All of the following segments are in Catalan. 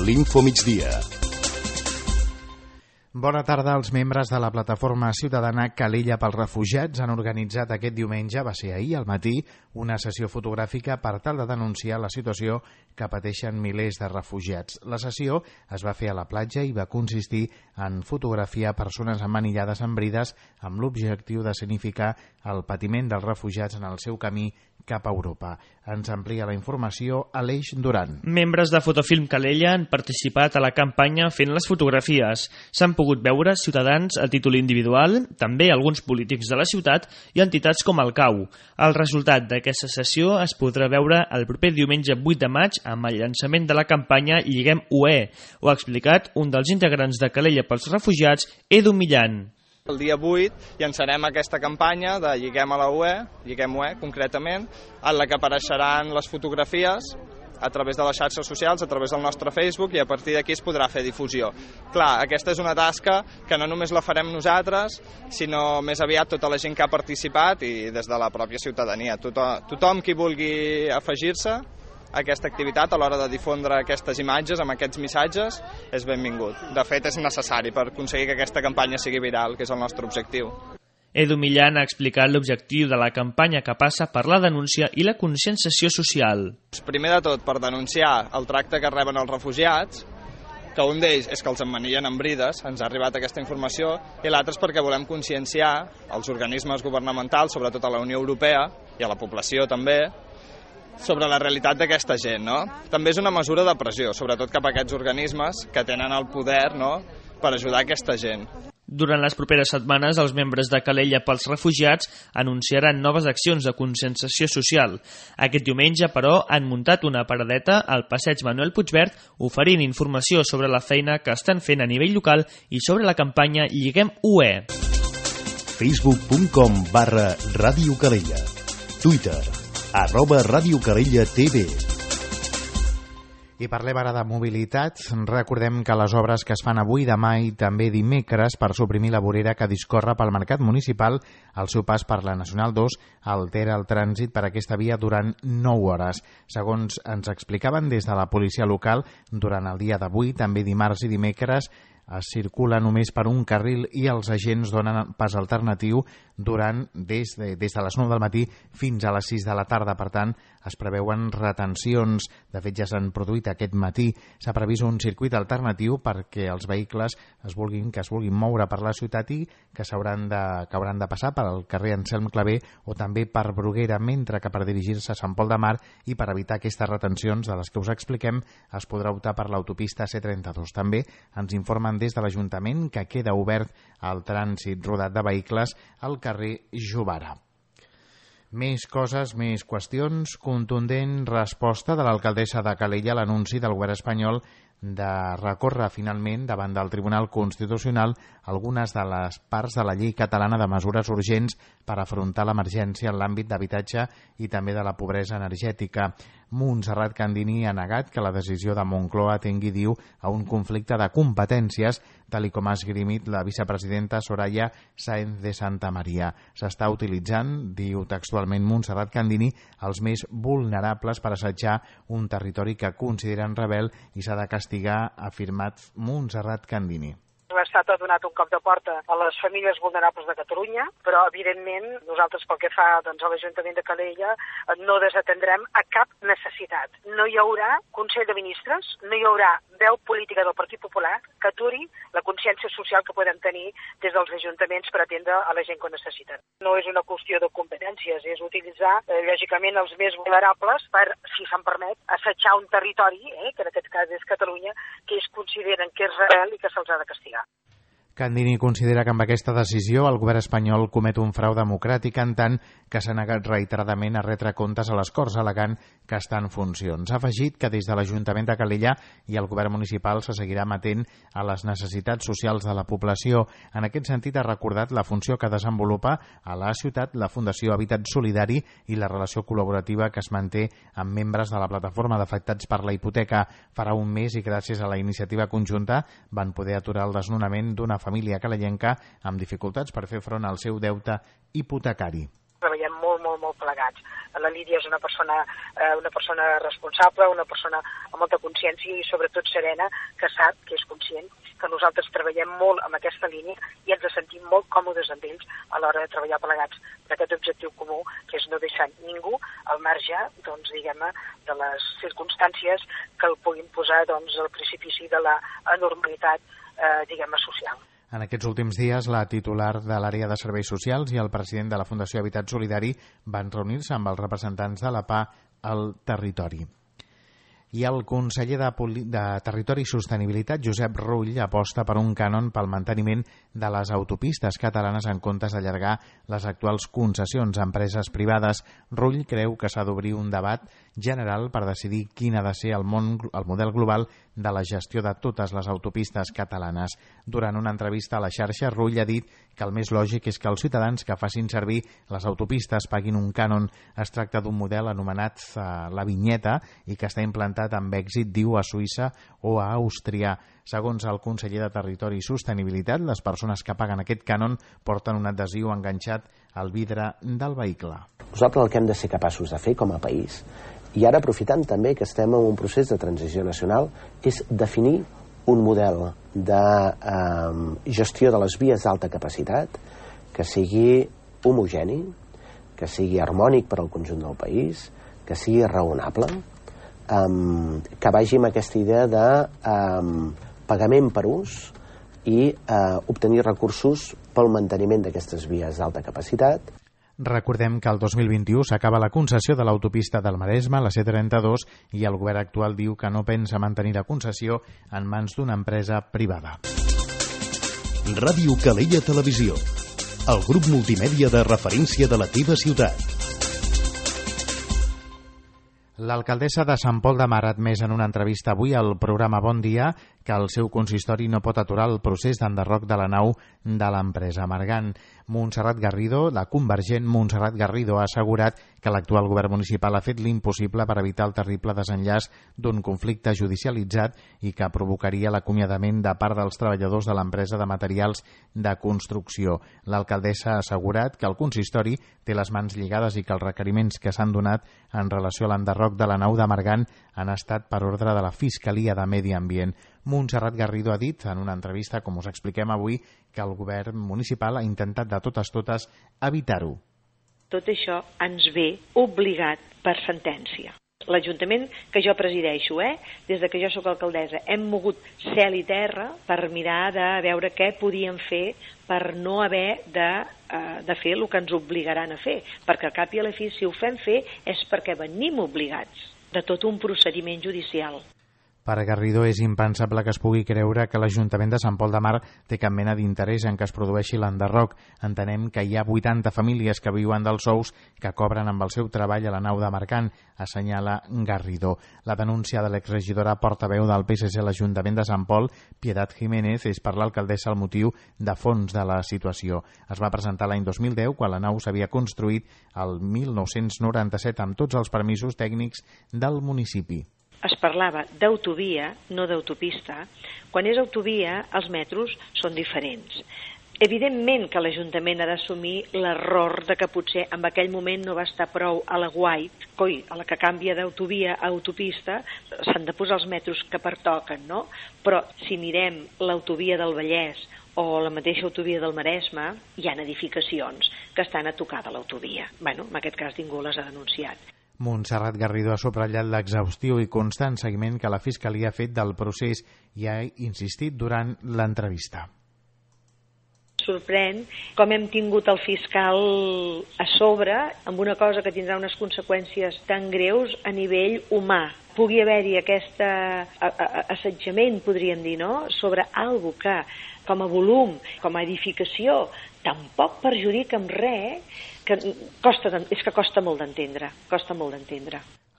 l'Info Migdia. Bona tarda. Els membres de la plataforma ciutadana Calella pels Refugiats han organitzat aquest diumenge, va ser ahir al matí, una sessió fotogràfica per tal de denunciar la situació que pateixen milers de refugiats. La sessió es va fer a la platja i va consistir en fotografiar persones emmanillades amb brides amb l'objectiu de significar el patiment dels refugiats en el seu camí cap a Europa. Ens amplia la informació Aleix Duran. Membres de Fotofilm Calella han participat a la campanya fent les fotografies. S'han pogut veure ciutadans a títol individual, també alguns polítics de la ciutat i entitats com el CAU. El resultat d'aquesta sessió es podrà veure el proper diumenge 8 de maig amb el llançament de la campanya Lliguem UE. Ho ha explicat un dels integrants de Calella pels Refugiats, Edu Millan. El dia 8 llançarem aquesta campanya de Lliguem a la UE, Lliguem UE concretament, en la que apareixeran les fotografies a través de les xarxes socials, a través del nostre Facebook, i a partir d'aquí es podrà fer difusió. Clar, aquesta és una tasca que no només la farem nosaltres, sinó més aviat tota la gent que ha participat i des de la pròpia ciutadania. Tothom qui vulgui afegir-se a aquesta activitat a l'hora de difondre aquestes imatges amb aquests missatges és benvingut. De fet, és necessari per aconseguir que aquesta campanya sigui viral, que és el nostre objectiu. Edu Millan ha explicat l'objectiu de la campanya que passa per la denúncia i la conscienciació social. Primer de tot, per denunciar el tracte que reben els refugiats, que un d'ells és que els emmanillen amb brides, ens ha arribat aquesta informació, i l'altre és perquè volem conscienciar els organismes governamentals, sobretot a la Unió Europea i a la població també, sobre la realitat d'aquesta gent, no? També és una mesura de pressió, sobretot cap a aquests organismes que tenen el poder, no?, per ajudar aquesta gent. Durant les properes setmanes, els membres de Calella pels Refugiats anunciaran noves accions de conscienciació social. Aquest diumenge, però, han muntat una paradeta al passeig Manuel Puigverd oferint informació sobre la feina que estan fent a nivell local i sobre la campanya Lliguem UE. Facebook.com/Ràdio Calella. Twitter @Ràdio Calella TV. I parlem ara de mobilitat. Recordem que les obres que es fan avui, demà i també dimecres per suprimir la vorera que discorre pel mercat municipal al seu pas per la Nacional 2 altera el trànsit per aquesta via durant 9 hores. Segons ens explicaven des de la policia local, durant el dia d'avui, també dimarts i dimecres, es circula només per un carril i els agents donen pas alternatiu des de les 9 del matí fins a les 6 de la tarda. Per tant, es preveuen retencions. De fet, ja s'han produït aquest matí. S'ha previst un circuit alternatiu perquè els vehicles que es vulguin moure per la ciutat i que hauran de passar pel carrer Anselm Clavé o també per Bruguera, mentre que per dirigir-se a Sant Pol de Mar i per evitar aquestes retencions de les que us expliquem es podrà optar per l'autopista C32. També ens informen des de l'Ajuntament que queda obert el trànsit rodat de vehicles al carrer Jovara. Més coses, més qüestions. Contundent resposta de l'alcaldessa de Calella a l'anunci del govern espanyol de recórrer finalment davant del Tribunal Constitucional algunes de les parts de la llei catalana de mesures urgents per afrontar l'emergència en l'àmbit d'habitatge i també de la pobresa energètica. Montserrat Candini ha negat que la decisió de Moncloa tingui, diu, a un conflicte de competències, tal com ha esgrimit la vicepresidenta Soraya Sáenz de Santa Maria. S'està utilitzant, diu textualment Montserrat Candini, els més vulnerables per assetjar un territori que consideren rebel i s'ha de castigar, ha afirmat Montserrat Candini. L'Estat ha donat un cop de porta a les famílies vulnerables de Catalunya, però evidentment nosaltres pel que fa a l'Ajuntament de Calella no desatendrem a cap necessitat. No hi haurà Consell de Ministres, no hi haurà veu política del Partit Popular que aturi la consciència social que podem tenir des dels ajuntaments per atendre a la gent que ho necessiten. No és una qüestió de competències, és utilitzar lògicament els més vulnerables per, si se'n permet, assetjar un territori, que en aquest cas és Catalunya, que ells consideren que és rebel i que se'ls ha de castigar. Candini considera que amb aquesta decisió el govern espanyol comet un frau democràtic en tant que s'ha negat reiteradament a retre comptes a les Corts, al·legant que està en funcions. Ha afegit que des de l'Ajuntament de Calella i el govern municipal se seguirà amatent a les necessitats socials de la població. En aquest sentit, ha recordat la funció que desenvolupa a la ciutat la Fundació Habitat Solidari i la relació col·laborativa que es manté amb membres de la plataforma d'afectats per la hipoteca. Farà un mes i gràcies a la iniciativa conjunta van poder aturar el desnonament d'una família calellenca amb dificultats per fer front al seu deute hipotecari. treballem molt plegats. La Lídia és una persona responsable, una persona amb molta consciència i sobretot serena, que sap, que és conscient, que nosaltres treballem molt amb aquesta línia i ens sentim molt còmodes amb ells a l'hora de treballar plegats per aquest objectiu comú, que és no deixar ningú al marge, doncs, diguem-ne, de les circumstàncies que el puguin posar, doncs, al precipici de la anormalitat, diguem-ne, social. En aquests últims dies, la titular de l'àrea de serveis socials i el president de la Fundació Habitat Solidari van reunir-se amb els representants de la PA al territori. I el conseller de Territori i Sostenibilitat, Josep Rull, aposta per un cànon pel manteniment de les autopistes catalanes en comptes d'allargar les actuals concessions a empreses privades. Rull creu que s'ha d'obrir un debat general per decidir quin ha de ser el model global de la gestió de totes les autopistes catalanes. Durant una entrevista a la xarxa, Rull ha dit que el més lògic és que els ciutadans que facin servir les autopistes paguin un cànon. Es tracta d'un model anomenat la vinyeta i que està implantat amb èxit, diu, a Suïssa o a Àustria. Segons el conseller de Territori i Sostenibilitat, les persones que paguen aquest cànon porten un adhesiu enganxat al vidre del vehicle. Nosaltres el que hem de ser capaços de fer com a país, i ara aprofitant també que estem en un procés de transició nacional, és definir un model de gestió de les vies d'alta capacitat que sigui homogeni, que sigui harmònic per al conjunt del país, que sigui raonable, que vagi amb aquesta idea de pagament per ús i obtenir recursos pel manteniment d'aquestes vies d'alta capacitat. Recordem que el 2021 s'acaba la concessió de l'autopista del Maresme, la C32, i el govern actual diu que no pensa mantenir la concessió en mans d'una empresa privada. Ràdio Calella Televisió, el grup multimèdia de referència de la teva ciutat. L'alcaldessa de Sant Pol de Mar ha admès en una entrevista avui al programa Bon Dia que el seu consistori no pot aturar el procés d'enderroc de la nau de l'empresa Margan. Montserrat Garrido, la convergent Montserrat Garrido, ha assegurat que l'actual govern municipal ha fet l'impossible per evitar el terrible desenllaç d'un conflicte judicialitzat i que provocaria l'acomiadament de part dels treballadors de l'empresa de materials de construcció. L'alcaldessa ha assegurat que el consistori té les mans lligades i que els requeriments que s'han donat en relació a l'enderroc de la nau de Margan han estat per ordre de la Fiscalia de Medi Ambient. Montserrat Garrido ha dit en una entrevista, com us expliquem avui, que el govern municipal ha intentat de totes evitar-ho. Tot això ens ve obligat per sentència. L'Ajuntament que jo presideixo, des de que jo sóc alcaldessa, hem mogut cel i terra per mirar de veure què podíem fer per no haver de fer el que ens obligaran a fer, perquè al cap i a la fi, si ho fem fer, és perquè venim obligats de tot un procediment judicial. Per Garrido és impensable que es pugui creure que l'Ajuntament de Sant Pol de Mar té cap mena d'interès en que es produeixi l'enderroc. Entenem que hi ha 80 famílies que viuen dels sous que cobren amb el seu treball a la nau de Margan, assenyala Garrido. La denúncia de l'exregidora portaveu del PSC a l'Ajuntament de Sant Pol, Piedad Jiménez, és per l'alcaldessa el motiu de fons de la situació. Es va presentar l'any 2010, quan la nau s'havia construït el 1997 amb tots els permisos tècnics del municipi. Es parlava d'autovia, no d'autopista. Quan és autovia, els metros són diferents. Evidentment que l'Ajuntament ha d'assumir l'error de que potser en aquell moment no va estar prou a la White, a la que canvia d'autovia a autopista, s'han de posar els metros que pertoquen, no? Però si mirem l'autovia del Vallès o la mateixa autovia del Maresme, hi ha edificacions que estan a tocar de l'autovia. En aquest cas ningú les ha denunciat. Montserrat Garrido ha subratllat l'exhaustiu i constant seguiment que la Fiscalia ha fet del procés i ha insistit durant l'entrevista. Sorprèn com hem tingut el fiscal a sobre amb una cosa que tindrà unes conseqüències tan greus a nivell humà. Pugui haver-hi aquest assetjament, podríem dir, no?, sobre algo que, com a volum, com a edificació, tampoc perjudica en res, que costa molt d'entendre.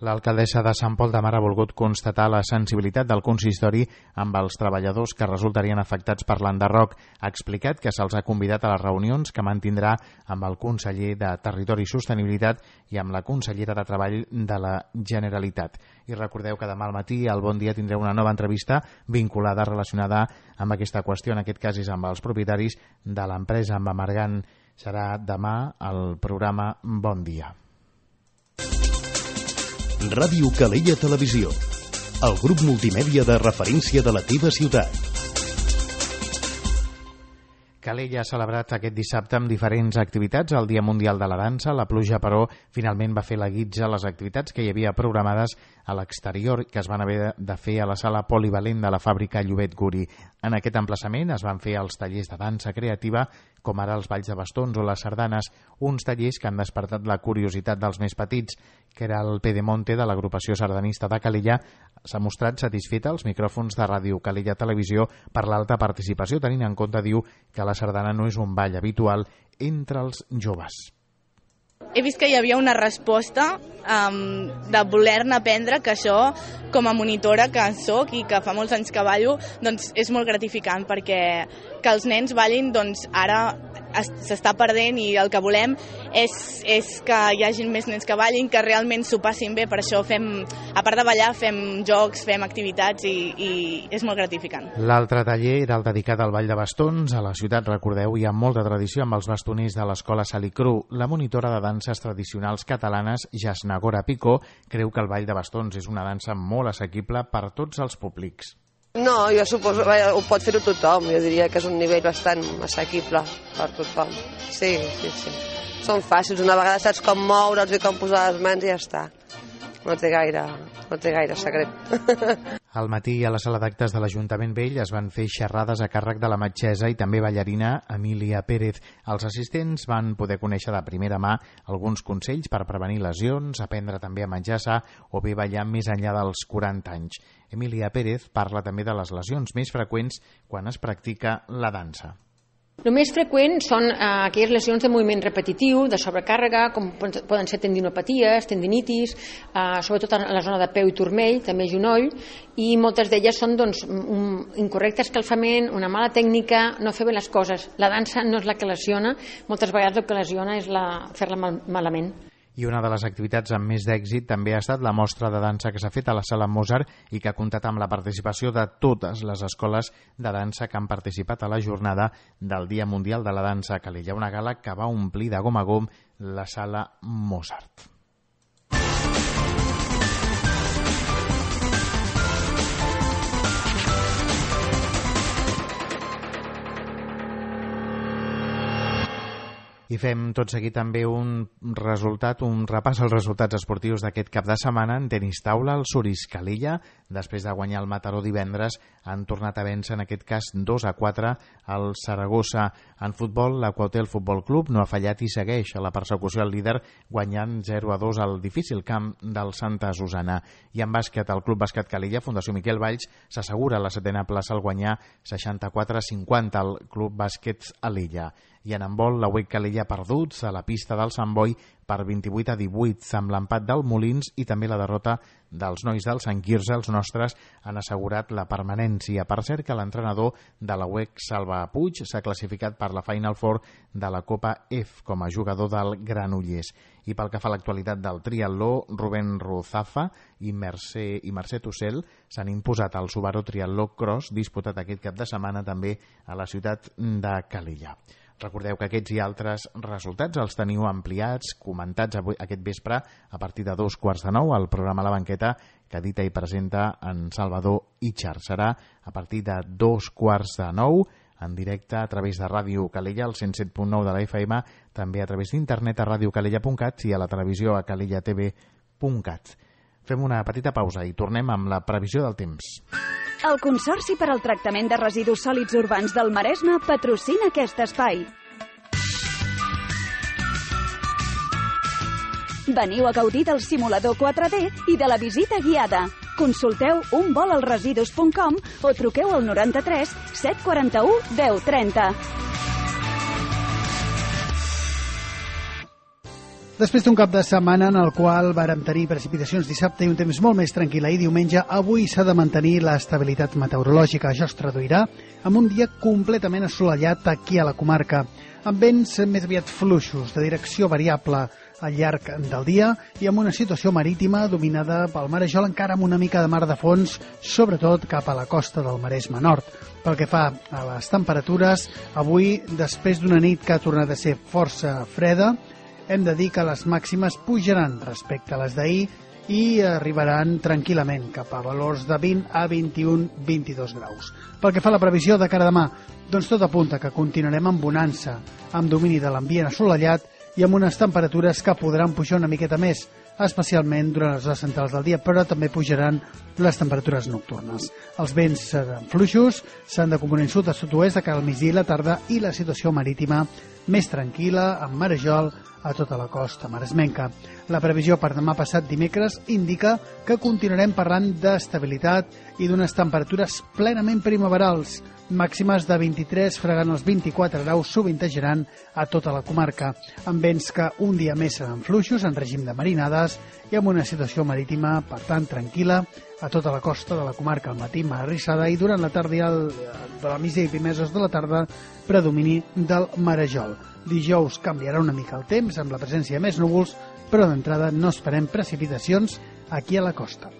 L'alcaldessa de Sant Pol de Mar ha volgut constatar la sensibilitat del consistori amb els treballadors que resultarien afectats per l'enderroc. Ha explicat que se'ls ha convidat a les reunions que mantindrà amb el conseller de Territori i Sostenibilitat i amb la consellera de Treball de la Generalitat. I recordeu que demà al matí al Bon Dia tindreu una nova entrevista relacionada amb aquesta qüestió. En aquest cas és amb els propietaris de l'empresa, amb Margan. serà demà al programa Bon Dia. Ràdio Calella Televisió, el grup multimèdia de referència de la teva ciutat. Calella ha celebrat aquest dissabte amb diferents activitats el Dia Mundial de la Dansa. La pluja, però, finalment va fer la guitza a les activitats que hi havia programades a l'exterior, que es van haver de fer a la sala polivalent de la fàbrica Llobet Guri. En aquest emplaçament es van fer els tallers de dansa creativa, com ara els balls de bastons o les sardanes, uns tallers que han despertat la curiositat dels més petits, que era el Pedemonte de l'agrupació sardanista de Calella. S'ha mostrat satisfeta als micròfons de Ràdio Calella Televisió per l'alta participació, tenint en compte, diu, que la sardana no és un ball habitual entre els joves. He vist que hi havia una resposta de voler-ne aprendre, que això, com a monitora que soc i que fa molts anys que ballo, doncs és molt gratificant, perquè que els nens ballin, doncs ara s'està perdent, i el que volem és que hi hagi més nens que ballin, que realment s'ho passin bé. Per això fem, a part de ballar, fem jocs, fem activitats i és molt gratificant. L'altre taller era el dedicat al ball de bastons. A la ciutat, recordeu, hi ha molta tradició amb els bastoners de l'escola Salicru. La monitora de danses tradicionals catalanes, Jasnagora Picó, creu que el ball de bastons és una dansa molt assequible per tots els públics. No, jo suposo que ho pot fer-ho tothom. Jo diria que és un nivell bastant assequible per tothom. Sí. Són fàcils. Una vegada saps com moure'ls i com posar les mans i ja està. No té gaire secret. Al matí, a la sala d'actes de l'Ajuntament Vell, es van fer xerrades a càrrec de la metgessa i també ballarina Emília Pérez. Els assistents van poder conèixer de primera mà alguns consells per prevenir lesions, aprendre també a menjar sa o bé ballar més enllà dels 40 anys. Emília Pérez parla també de les lesions més freqüents quan es practica la dansa. El més freqüent són aquelles lesions de moviment repetitiu, de sobrecàrrega, com poden ser tendinopaties, tendinitis, sobretot a la zona de peu i turmell, també genoll, i moltes d'elles són un incorrecte escalfament, una mala tècnica, no fer bé les coses. La dansa no és la que lesiona, moltes vegades el que lesiona és fer-la malament. I una de les activitats amb més d'èxit també ha estat la mostra de dansa que s'ha fet a la Sala Mozart i que ha comptat amb la participació de totes les escoles de dansa que han participat a la jornada del Dia Mundial de la Dansa a Calella, una gala que va omplir de gom a gom la Sala Mozart. I fem tot seguit també un repàs als resultats esportius d'aquest cap de setmana. En tenis taula, el Suris Calella, després de guanyar el Mataró divendres, han tornat a vèncer, en aquest cas 2-4, al Saragossa. En futbol, l'Aquahotel Futbol Club no ha fallat i segueix a la persecució al líder, guanyant 0-2 al difícil camp del Santa Susana. I en bàsquet, el Club Bàsquet Calella, Fundació Miquel Valls, s'assegura la 7a plaça al guanyar 64-50 al Club Bàsquet Alella. I en handbol, la UEC Calella perduts a la pista del Sant Boi per 28-18, amb l'empat del Molins i també la derrota dels nois del Sant Quirze. Els nostres han assegurat la permanència. Per cert que l'entrenador de la UEC, Salva Puig, s'ha classificat per la Final Four de la Copa F com a jugador del Granollers. I pel que fa a l'actualitat del triatló, Rubén Ruzafa i Mercè Tussell s'han imposat al Subaru Triatló Cross, disputat aquest cap de setmana també a la ciutat de Calella. Recordeu que aquests i altres resultats els teniu ampliats, comentats avui, aquest vespre, a partir de 8:45 al programa La Banqueta, que edita i presenta en Salvador Itxar. Serà a partir de 8:45 en directe a través de Ràdio Calella, al 107.9 de la FM, també a través d'internet a radiocalella.cat i a la televisió a calellatv.cat. Fem una petita pausa i tornem amb la previsió del temps. El Consorci per al Tractament de Residus Sòlids Urbans del Maresme patrocina aquest espai. Veniu a gaudir del simulador 4D i de la visita guiada. Consulteu unvolalresidus.com o truqueu al 93 741 1030. Després d'un cap de setmana en el qual vàrem tenir precipitacions dissabte i un temps molt més tranquil i diumenge, avui s'ha de mantenir l'estabilitat meteorològica. Això es traduirà en un dia completament assolellat aquí a la comarca, amb vents més aviat fluixos, de direcció variable. al llarg del dia i amb una situació marítima dominada pel marejol, encara amb una mica de mar de fons, sobretot cap a la costa del Maresme Nord. Pel que fa a les temperatures, avui, després d'una nit que ha tornat a ser força freda, hem de dir que les màximes pujaran respecte a les d'ahir i arribaran tranquil·lament cap a valors de 20 a 21-22 graus. Pel que fa a la previsió de cara a demà, doncs tot apunta que continuarem amb bonança, amb domini de l'ambient assolellat i amb unes temperatures que podran pujar una miqueta més, especialment durant les hores centrals del dia, però també pujaran les temperatures nocturnes. Els vents seran fluixos, s'han de component sud a sud-oest de cara al migdia i la tarda i la situació marítima més tranquil·la, amb marejol a tota la costa maresmenca. La previsió per demà passat dimecres indica que continuarem parlant d'estabilitat i d'unes temperatures plenament primaverals, màximes de 23 fregant els 24 graus sovintejaran a tota la comarca, amb vents que un dia més seran fluixos en règim de marinades i amb una situació marítima, per tant, tranquil·la a tota la costa de la comarca. Al matí mar arrissada i durant la tarda i de la migdia i primeres hores de la tarda predomini del marejol. Dijous canviarà una mica el temps amb la presència de més núvols, però d'entrada no esperem precipitacions aquí a la costa.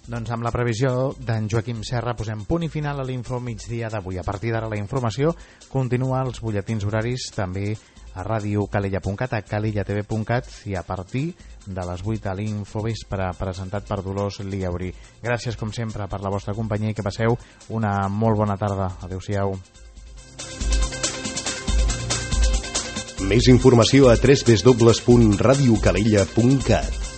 Doncs amb la previsió d'en Joaquim Serra posem punt i final a l'Info Migdia d'avui. A partir d'ara la informació continua als butlletins horaris també a radiocalella.cat, a calellatv.cat i a partir de les 8 a l'Info Vespre, presentat per Dolors Liauri. Gràcies com sempre per la vostra companyia i que passeu una molt bona tarda. Adéu-siau. Més informació a www.radiocalella.cat.